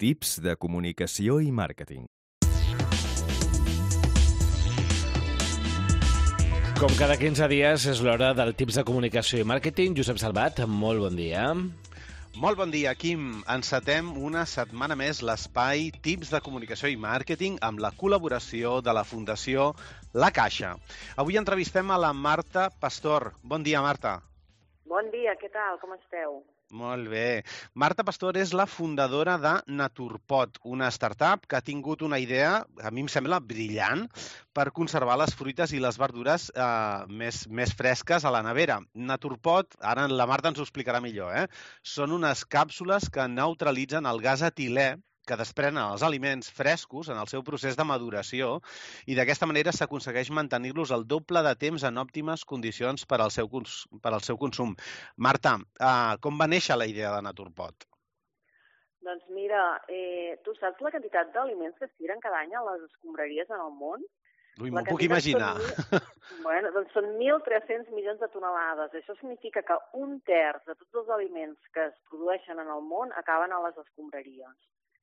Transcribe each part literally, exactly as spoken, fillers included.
Tips de comunicació i màrqueting. Com cada quinze dies és l'hora del Tips de comunicació i màrqueting. Josep Salvat, molt bon dia. Molt bon dia, Quim. Encetem una setmana més l'espai Tips de comunicació i màrqueting amb la col·laboració de la Fundació La Caixa. Avui entrevistem a la Marta Pastor. Bon dia, Marta. Bon dia, què tal? Com esteu? Molt bé. Marta Pastor és la fundadora de Naturpot, una startup que ha tingut una idea, a mi em sembla brillant, per conservar les fruites i les verdures eh, més, més fresques a la nevera. Naturpot, ara la Marta ens ho explicarà millor, eh? Són unes càpsules que neutralitzen el gas etilè que desprenen els aliments frescos en el seu procés de maduració i d'aquesta manera s'aconsegueix mantenir-los el doble de temps en òptimes condicions per al seu, per al seu consum. Marta, eh, com va néixer la idea de Naturpot? Doncs mira, eh, tu saps la quantitat d'aliments que es tiren cada any a les escombraries en el món? Ui, m'ho puc imaginar. Són, bueno, doncs són mil tres-cents milions de tonelades. Això significa que un terç de tots els aliments que es produeixen en el món acaben a les escombraries.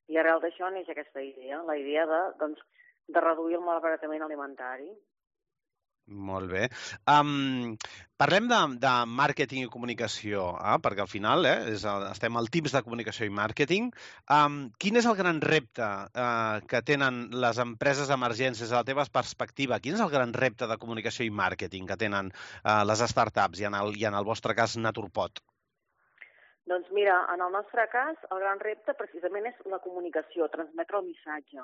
I arrel d'això neix aquesta idea, la idea de, doncs, de reduir el malbaratament alimentari. Molt bé. Um, parlem de, de màrqueting i comunicació, eh? Perquè al final eh, és el, estem al Tips de comunicació i màrqueting. Um, quin és el gran repte uh, que tenen les empreses emergents des de la teva perspectiva? Quin és el gran repte de comunicació i màrqueting que tenen uh, les startups i en, el, i en el vostre cas Naturpot? Doncs mira, en el nostre cas, el gran repte precisament és la comunicació, transmetre el missatge.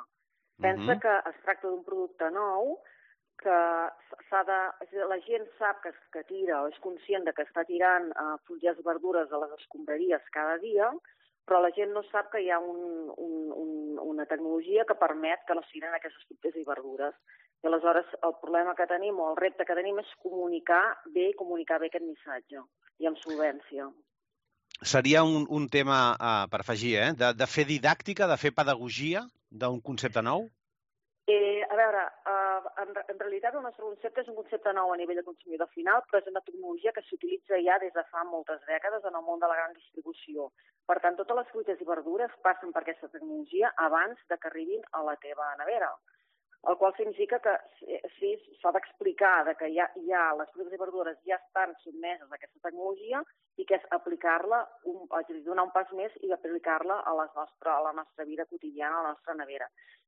Pensa uh-huh. que es tracta d'un producte nou, que s'ha de, la gent sap que, que tira o és conscient de que està tirant uh, fulles i verdures a les escombraries cada dia, però la gent no sap que hi ha un, un, un, una tecnologia que permet que no es tiren aquestes fulles i verdures. I aleshores el problema que tenim o el repte que tenim és comunicar bé i comunicar bé aquest missatge i amb solvència. Seria un, un tema uh, per afegir, eh? De, de fer didàctica, de fer pedagogia d'un concepte nou? Eh, a veure, uh, en, en realitat el nostre concepte és un concepte nou a nivell de consumidor final, però és una tecnologia que s'utilitza ja des de fa moltes dècades en el món de la gran distribució. Per tant, totes les fruites i verdures passen per aquesta tecnologia abans de que arribin a la teva nevera. El qual significa que sí, s'ha d'explicar que ja, ja les fruites i verdures ja estan sotmeses a aquesta tecnologia i que és aplicar-la, un, donar un pas més i aplicar-la a, les nostre, a la nostra vida quotidiana, a la nostra nevera.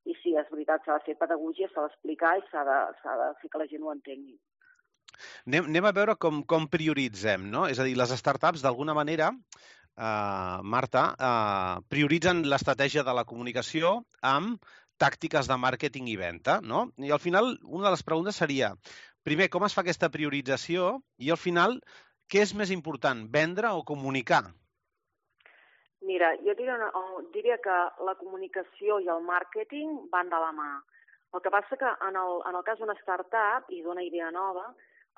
I sí, és veritat, s'ha de fer pedagogia, s'ha d'explicar i s'ha de, s'ha de fer que la gent ho entengui. Anem, anem a veure com, com prioritzem, no? És a dir, les startups, d'alguna manera, eh, Marta, eh, prioritzen l'estratègia de la comunicació amb tàctiques de màrqueting i venda, no? I al final, una de les preguntes seria, primer, com es fa aquesta priorització? I al final, què és més important, vendre o comunicar? Mira, jo diria, diria que la comunicació i el màrqueting van de la mà. El que passa que en el, en el cas d'una startup i d'una idea nova,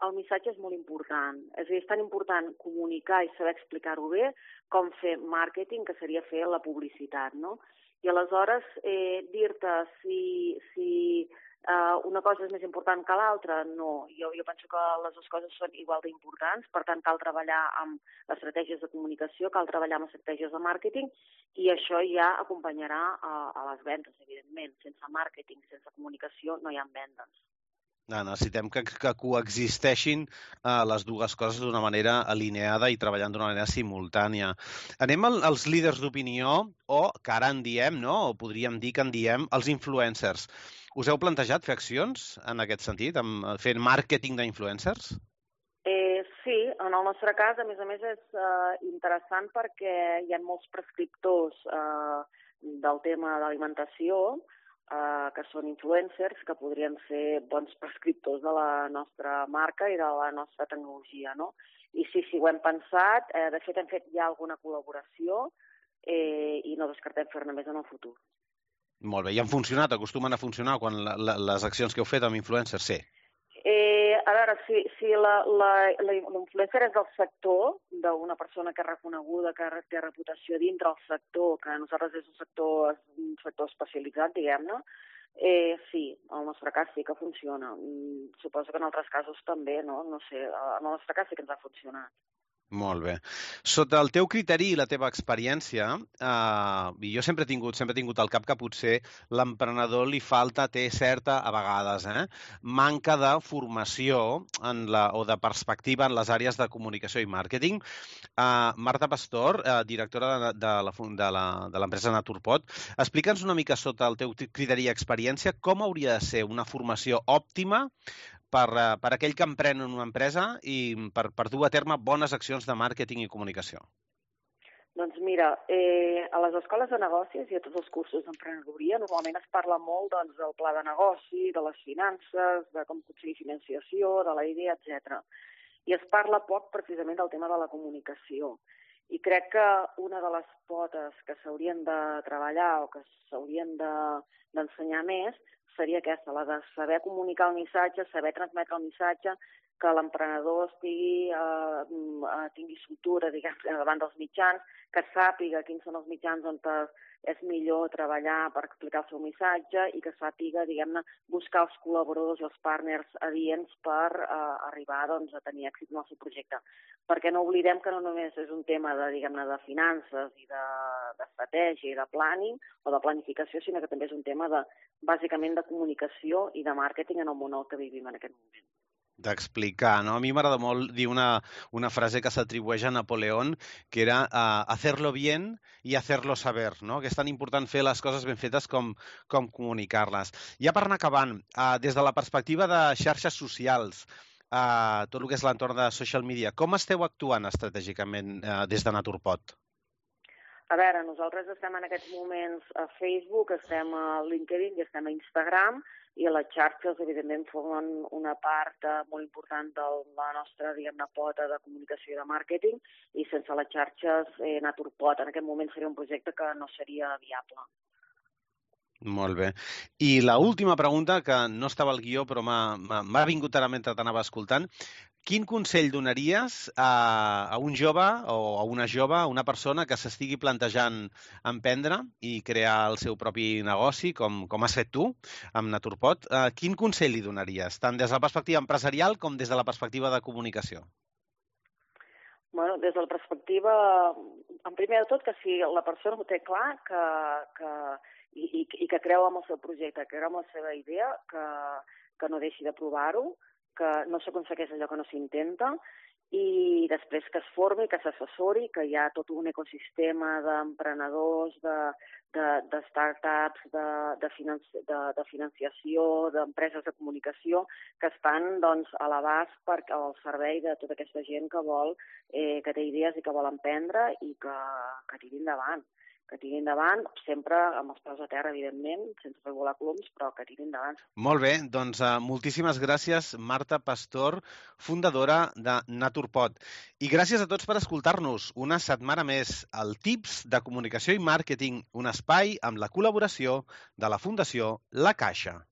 el missatge és molt important. És a dir, és tan important comunicar i saber explicar-ho bé com fer màrqueting, que seria fer la publicitat, no? I aleshores eh, dir-te si, si eh, una cosa és més important que l'altra, no. Jo, jo penso que les dues coses són igual d'importants, per tant cal treballar amb estratègies de comunicació, cal treballar amb estratègies de màrqueting i això ja acompanyarà a, a les vendes, evidentment. Sense màrqueting, sense comunicació no hi ha vendes. No, necessitem que, que coexisteixin uh, les dues coses d'una manera alineada i treballant d'una manera simultània. Anem al, als líders d'opinió, o que ara en diem, no? O podríem dir que en diem, els influencers. Us heu plantejat fer accions en aquest sentit, amb, fent màrqueting d'influencers? Eh, sí, en el nostre cas, a més a més, és eh, interessant perquè hi ha molts prescriptors eh, del tema d'alimentació, Uh, que són influencers, que podrien ser bons prescriptors de la nostra marca i de la nostra tecnologia, no? I sí, sí, ho hem pensat. Eh, de fet, hem fet ja alguna col·laboració eh, i no descartem fer-ne més en el futur. Molt bé. I han funcionat? Acostumen a funcionar quan la, la, les accions que heu fet amb influencers? Sí. Eh, a veure, si, si l'influencer és del sector, d'una persona que és reconeguda, que té reputació dintre el sector, que nosaltres és un sector, un sector especialitzat, diguem-ne, eh, sí, en el nostre cas sí que funciona. Suposo que en altres casos també, no? No sé, en el nostre cas sí que ens ha funcionat. Molt bé. Sota el teu criteri i la teva experiència, eh, i jo sempre he tingut, sempre he tingut al cap que potser l'emprenedor li falta, té certa, a vegades, eh, manca de formació en la, o de perspectiva en les àrees de comunicació i màrqueting. Eh, Marta Pastor, eh, directora de, de la fun- de la- de l'empresa Naturpot, explica'ns una mica sota el teu criteri i experiència com hauria de ser una formació òptima per, eh, per aquell que emprèn en una empresa i per, per dur a terme bones accions de màrqueting i comunicació. Doncs mira, eh, a les escoles de negocis i a tots els cursos d'emprenedoria normalment es parla molt doncs, del pla de negoci, de les finances, de com aconseguir financiació, de la idea, etcètera. I es parla poc precisament del tema de la comunicació. I crec que una de les potes que s'haurien de treballar o que s'haurien de, d'ensenyar més seria aquesta, la de saber comunicar el missatge, saber transmetre el missatge, que l'emprenedor estigui, eh, tingui soltura, diguem, davant dels mitjans, que sàpiga quins són els mitjans on és millor treballar per explicar el seu missatge i que sàpiga, diguem-ne, buscar els col·laboradors i els partners adients per eh, arribar doncs, a tenir èxit en el seu projecte. Perquè no oblidem que no només és un tema de, diguem-ne, de finances i d'estratègia i de planning o de planificació, sinó que també és un tema de, bàsicament, de comunicació i de màrqueting en el món en què vivim en aquest moment. D'explicar, no? A mi m'agrada molt dir una, una frase que s'atribueix a Napoleón, que era uh, hacerlo bien i hacerlo saber, no? Que és tan important fer les coses ben fetes com, com comunicar-les. Ja per anar acabant, uh, des de la perspectiva de xarxes socials, uh, tot el que és l'entorn de social media, com esteu actuant estratègicament uh, des de Naturpot? A veure, nosaltres estem en aquests moments a Facebook, estem a LinkedIn i estem a Instagram, i a les xarxes, evidentment, formen una part eh, molt important de la nostra, diguem-ne, pota de comunicació i de màrqueting, i sense les xarxes, eh, Naturpot en aquest moment seria un projecte que no seria viable. Molt bé. I l'última pregunta, que no estava al guió, però m'ha vingut ara mentre t'anava escoltant. Quin consell donaries a, a un jove o a una jove, a una persona que s'estigui plantejant emprendre i crear el seu propi negoci, com, com has fet tu, amb Naturpot? Uh, quin consell li donaries, tant des de la perspectiva empresarial com des de la perspectiva de comunicació? Bueno, des de la perspectiva, en primer de tot, que si la persona ho té clar que, que, i, i, i que creu en el seu projecte, que creu en la seva idea, que, que no deixi de provar-ho, que no s'aconsegueix allò que no s'intenta, i després que es formi, que s'assessori, que hi ha tot un ecosistema d'emprenedors, de, de, de start-ups, de, de, financi de, de financiació, d'empreses de comunicació, que estan doncs, a l'abast per, al servei de tota aquesta gent que vol, eh, que té idees i que vol emprendre i que, que tiri endavant. que tiri endavant, sempre amb els peus a terra, evidentment, sense fer volar coloms, però que tiri endavant. Molt bé, doncs uh, moltíssimes gràcies, Marta Pastor, fundadora de Naturpot. I gràcies a tots per escoltar-nos una setmana més al Tips de Comunicació i Màrqueting, un espai amb la col·laboració de la Fundació La Caixa.